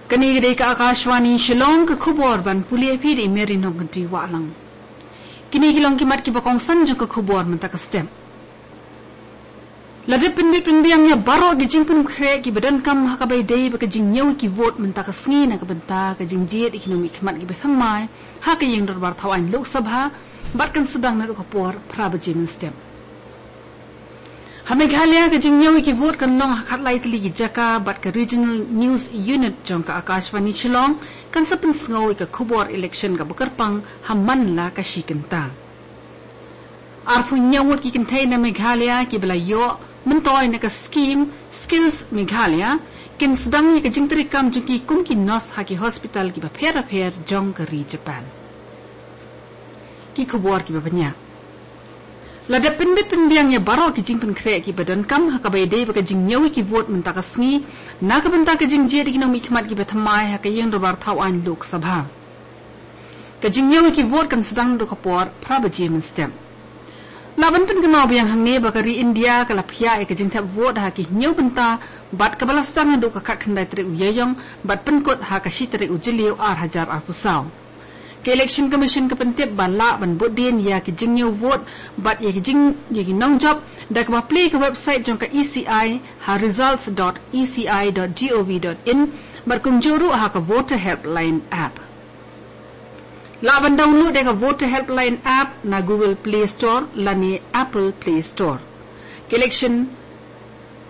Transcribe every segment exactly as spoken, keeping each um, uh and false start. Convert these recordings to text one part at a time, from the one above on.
Kane ka dei ka Akashvani Shillong, ka khubor ban pule ïa phi da i Mary Nongkynrih Wahlang. Kine ki long ki mat kiba kongsan jong ka khubor mynta ka step. La dep pynbit pynbiang ïa baroh ki jingpynkhreh kiba donkam ha kaba ïadei bad ka jingñiew ki vote mynta ka sngi na ka bynta ka jingjied ïa ki nongmihkhmat kiba thymmai ha ka ïing dorbar thaw aiñ Lok Sabha bad kan sdang naduh ka por phra baje mynstep. Ha Meghalaya ka jingñiew ïa ki vote kan long ha khatlai tylli ki jaka bad ka Regional News Unit jong ka Akashvani Shillong kan sa pynsngew ïa ka khubor election kaba kyrpang ha man la ka shi kynta. Arphew hynñiew ngut ki kynthei na Meghalaya kiba la ïoh myntoi na ka skhim Skills Meghalaya kin sdang ïa ka jingtrei kam jong ki kum ki nurse ha ki hospital kiba pher bapher jong ka ri Japan. Ki khubor kiba bniah. La dep pynbit pynbiang ïa baroh ki jingpynkhreh kiba donkam ha kaba ïadei bad ka jingñiew ïa ki vote mynta ka sngi na ka bynta ka jingjied ïa ki nongmihkhmat kiba thymmai ha ka ïing dorbar thaw aiñ Lok Sabha. Ka jingñiew ïa ki vote kan sdang naduh ka por phra baje mynstep. Lah ban pynkynmaw biang hangne ba ka ri India ka la phiah ïa ka jingthep vote ha ki hynñiew bynta bad kaba la sdang naduh ka khatkhyndai tarik u Ïaïong bad pynkut ha ka shi tarik u Jylliew ar hajar arphew saw. Ka Election Commission ka pyntip ba lah ban bud dien ïa ki jingñiew vote bad ïa ki jing ïa ki nongjop da kaba plie ka website jong ka E C I ha results dot E C I dot gov dot in bad kumjuh ruh ha ka Voter Helpline app. Lah ban download ïa ka Voter Helpline app na Google Play Store lane Apple Play Store. Ka Election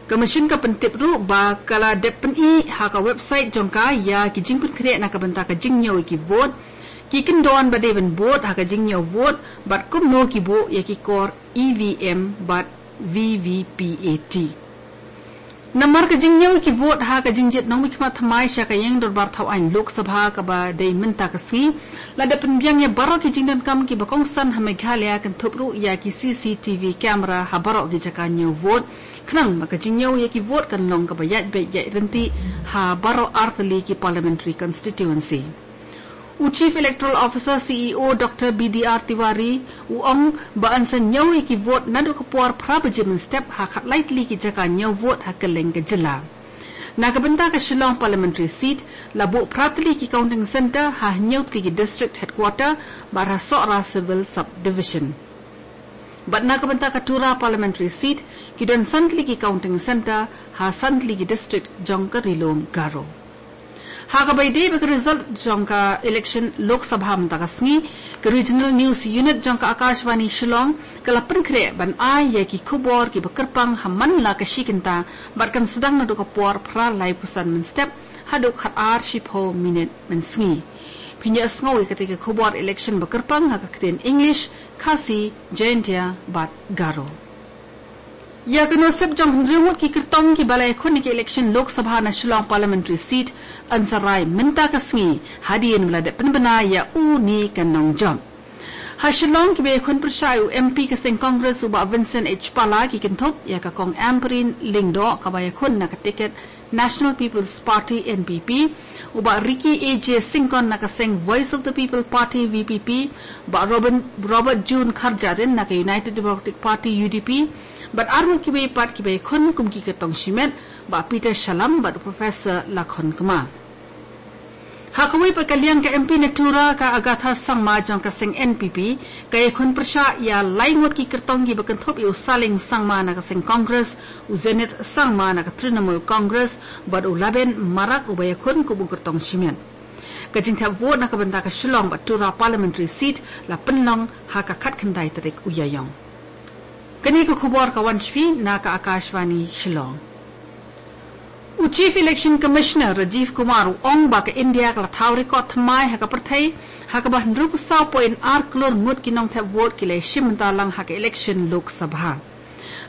Commission ka pyntip ruh ba ka la dep pyni ha ka website jong ka ïa ki jingpynkhreh na ka bynta ka jingñiew ïa ki vote, ki kyndon ba dei ban bud ha ka jingñiew vote bad kumno ki buh ïa ki kor E V M bad V V P A T. Namar ka jingñiew ïa ki vote ha ka jingjied nongmihkhmat thymmai sha ka ïing dorbar thaw aiñ Lok Sabha kaba dei mynta ka sngi, la dep pynbiang ïa baroh ki jingdonkam kiba kongsan ha Meghalaya kynthup ruh ïa ki C C T V camera ha baroh ki jaka ñiew vote. Khnang ba ka jingñiew ïa ki vote kan long kaba ïaid beit ïaid ryntih ha baroh artylli ki parliamentary constituency. U Chief Electoral Officer, C E O, Doctor B D R Tiwari u ong ba yn sa ñiew ïa ki vote naduh ka por phra baje mynstep ha khatlai tylli ki jaka ñiew vote ha kylleng ka jylla. Na ka bynta ka Shillong Parliamentary Seat la buh phra tylli ki counting centre ha hynñiew tylli ki district headquarter bad ha Sohra Civil Subdivision. Bad na ka bynta ka Tura Parliamentary Seat ki don san tylli ki counting centre ha san tylli ki district jong ka Ri-lum Garo. Ha kaba ïadei bad ka result jong ka election Lok Sabha mynta ka sngi, ka Regional News Unit jong ka Akashvani Shillong ka la pynkhreh ban ai ïa ki khubor kiba kyrpang ha man la ka shi kynta bad kan sdang naduh ka por phra laiphew san mynstep haduh khatar shiphew minit mynsngi. Phin ïohsngew ïa katei ka khubor election ba kyrpang ha ka ktien English, Khasi, Jaintia bad Garo. Ïa ka nusip jong hynriew ngut ki kyrtong kiba la ïakhun ïa ka election Lok Sabha na Shillong Parliamentary Seat yn sa rai mynta ka sngi hadien ba la dep pynbna ïa u ne ka nongjop. Ha Shillong kiba ïakhun pyrshah ïa u M P ka seng Congress u Bah Vincent H Pala ki kynthup ïa ka Kong Ampareen Lyngdoh kaba ïakhun na ka tiket National People's Party, N P P, u Bah Ricky A J Syngkon na ka seng Voice of the People Party, V P P, Bah Robin, Robert June Kharjahrin na ka United Democratic Party, U D P, bad arngut kiwei pat kiba ïakhun kum ki kyrtong shimet, Bah Peter Shallam bad u Professor Lakhon Kma. Ha kawei pat ka liang, ka M P na Tura ka Agatha Sangma jong ka seng N P P ka ïakhun pyrshah ïa lai ngut ki kyrtong kiba kynthup ïa u Saleng Sangma na ka seng Congress, u Zenith Sangma na ka Trinamool Congress bad u Laben Marak uba ïakhun kum u kyrtong shimet. Ka jingthep vote na ka bynta ka Shillong bad Tura Parliamentary Seat la pynlong ha ka khatkhyndai tarik u Ïaïong. Kane ka khubor ka wan sha phi na ka Akashvani Shillong. U Chief Election Commissioner Rajiv Kumar u ong ba ka India ka la thaw record thymmai ha ka pyrthei ha kaba hynriewphew saw point ar klur ngut ki nongthep vote ki la ïashim bynta lang ha ka election Lok Sabha.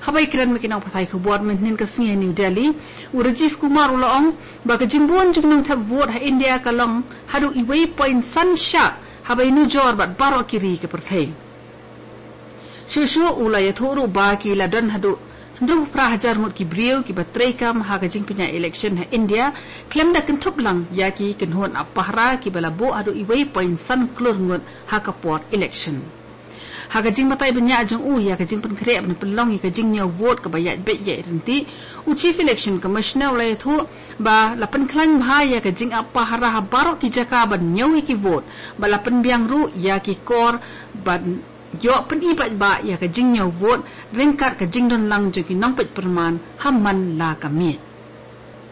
Haba ïakren bad ki nongpathai khubor mynhynnin ka sngi ha New Delhi, u Rajiv Kumar u la ong ba ka jingbun jong ki nongthep vote ha India ka long haduh uwei point san shah haba ïanujor bad baroh ki ri ka pyrthei. Shuh shuh u la ïathuh ruh ba ki la don haduh hynriewphew phra hajar ngut ki briew kiba treikam ha ka jingpynïaid election ha India, khlem da kynthup lang ïa ki kynhun ap pahara kiba la buh haduh uwei point san klur ngut ha ka por election. Ha ka jingbatai bniah jong u ïa ka jingpynkhreh ban pynlong ïa ka jingñiew vote kaba ïaid beit ïaid ryntih, u Chief Election Commissioner u la ïathuh ba la pynkhlaiñ bha ïa ka jingap pahara ha baroh ki jaka ban ñiew ïa ki vote, ba la pynbiang ruh ïa ki kor ban ïoh pyni paidbah ïa ka jingñiew vote ryngkat ka jingdon lang jong ki nongpeit pyrman ha man la ka miej.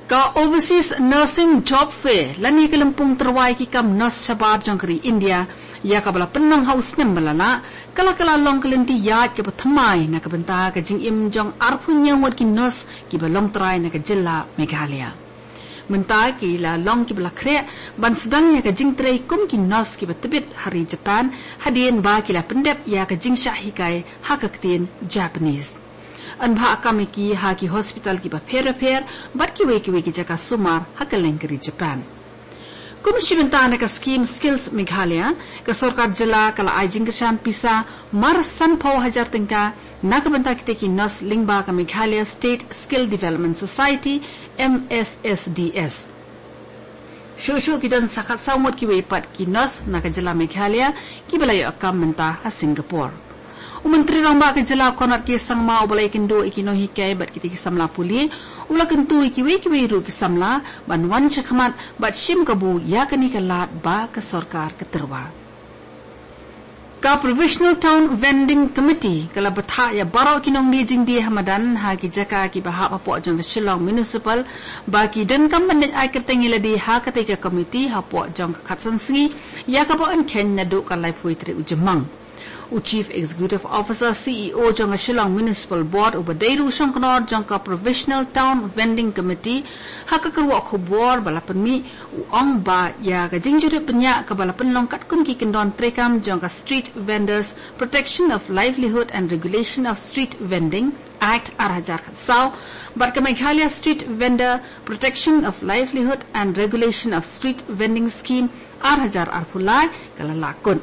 Ka Overseas Nursing Job Fair, lane ka lympung tyrwa ïa ki kam nurse shabar jong ka ri India, ïa kaba la pynlong ha u snem ba la lah, ka la kylla long ka lynti ïaid kaba thymmai na ka bynta ka jingim jong arphew hynñiew ngut ki nurse kiba long trai na ka jylla Meghalaya. Mynta ki la long kiba la khreh ban sdang ïa ka jingtrei kum ki nurse kiba tbit ha ri Japan, hadien ba ki la pyndep ïa ka jingshah hikai ha ka ktien Japanese. Yn bha kam ïa ki ha ki hospital kiba pher bapher bad kiwei kiwei ki jaka sumar ha kylleng ka ri Japan. Kum shi bynta na ka skhim Skills Meghalaya, ka sorkar jylla ka la ai jingkyrshan pisa mar sanphew hajar tyngka na ka bynta kita ki nurse lyngba ka Meghalaya State Skill Development Society, M S S D S. Shuh shuh ki don sa khatsaw ngut kiwei pat ki nurse na ka jylla Meghalaya kiba la ïoh kam mynta ha Singapore. U Myntri Rangbah ka jylla Conrad K Sangma uba la ïakynduh ïa ki nonghikai bad kita ki samla pule, u la kyntu ïa kiwei kiwei ruh ki samla ban wan shakhmat bad shim kabu ïa kane ka lad ba ka sorkar ka tyrwa. Ka Provisional Town Vending Committee ka la bthah ïa baroh ki nongdie jingdie ha madan ha ki jaka kiba hap hapoh jong ka Shillong Municipal ba ki donkam ban leit ai kyrteng ïa lade ha katei ka committee hapoh jong ka khatsan sngi, ïa kaba yn kheiñ naduh ka laiphew tarik u Jymmang. U Chief Executive Officer, C E O jong ka Shillong Municipal Board, uba dei ruh u shongknor jong ka Provisional Town Vending Committee, ha ka kyrwoh khubor ba la pynmih, u ong ba ïa ka jingjurip bniah kaba la pynlong katkum ki kyndon treikam jong ka Street Vendors Protection of Livelihood and Regulation of Street Vending Act ar hajar khatsaw bad ka Meghalaya Street Vendor Protection of Livelihood and Regulation of Street Vending Scheme ar hajar arphew lai ka la lah kut.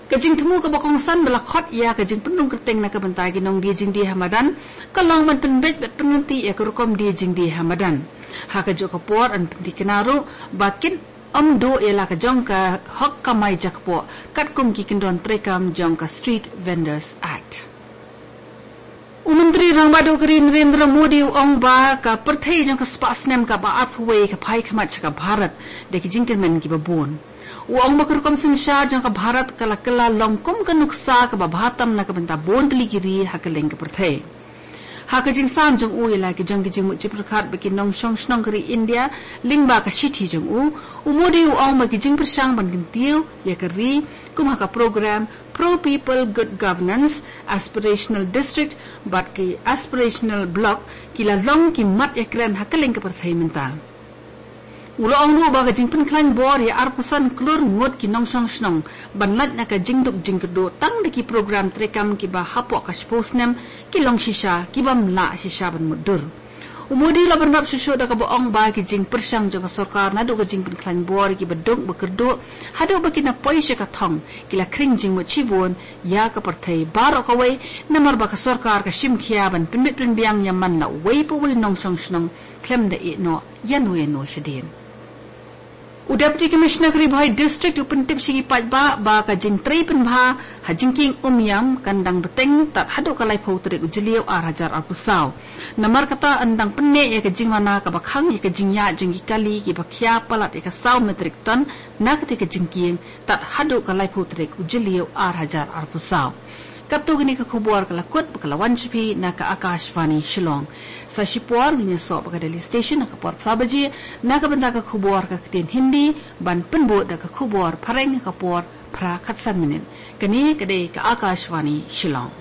Ka jingthmu kaba kongsan ba la khot ïa ka jingpynrung kyrteng na ka bynta ki nongdie jingdie ha madan ka long ban pynbeit bad pynryntih ïa ka rukom die jingdie ha madan. Ha kajuh ka por yn pynthikna ruh ba kin ym duh ïa la ka jong ka hok kamai jakpoh katkum ki kyndon treikam jong ka Street Vendors Act. U Myntri Rangbah Duh ka ri Narendra Modi u ong ba ka pyrthei jong ka spah snem kaba arphew wei ka phai khmat sha ka Bharat da ki jingkyrmen kiba bun. U ong ba ka rukom synshar jong ka Bharat ka la kylla long kum ka nuksa kaba bha tam na ka bynta bun tylli ki ri ha kylleng ka pyrthei. Ha ka jingsam jong u ïa la ki jong ki jingmut jingpyrkhat bad ki nongshong shnong ka ri India lyngba ka shithi jong u, u Modi u ong ba ki jingpyrshang ban kyntiew ïa ka ri kum ha ka program Pro People Good Governance, Aspirational District bad ki Aspirational Block ki la long ki mat ïakren ha kylleng ka pyrthei mynta. U la ong ruh ba ka jingpynkhlaiñ bor ïa arphew san klur ngut ki nongshong shnong ban lait na ka jingduk jingkyrduh tang da ki program treikam kiba hapoh ka shiphew snem ki long shisha ki bym lah shisha ban mutdur. U Modi u la bynrap shuh shuh da kaba ong ba ki jingpyrshang jong ka sorkar naduh ka jingpynkhlaiñ bor ïa kiba duk ba kyrduh haduh ba ki na poi sha ka thong ki la khring jingmut shibun ïa ka pyrthei baroh kawei, namar ba ka sorkar ka shim khia ban pynbit pynbiang ïa man la uwei pa uwei u nongshong shnong khlem da ïeh noh ïano ïano shadien. U Deputy Commissioner ka Ri Bhoi District u pyntip sha ki paidbah ba ka jingtrei pynbha ha jingkieng Umiam kan dang bteng tad haduh ka laiphew tarik u Jylliew ar hajar arphew saw. Namar kata yn dang pynneh ïa ka jingmana kaba khang ïa ka jingïaid jong ki kali kiba khia palat ïa ka saw metric ton na katei ka jingkieng tad haduh ka laiphew tarik u Jylliew ar hajar arphew saw. Katto katne ka khubor ka la kut bad ka la wan sha phi na ka Akashvani Shillong. Sa shipor ngin ïasoh bad ka Delhi Station ha ka por phra baje na ka bynta ka khubor ka ktien Hindi, ban pynbud da ka khubor phareng ha ka por phra khatsan minit. Kane ka dei ka Akashvani Shillong.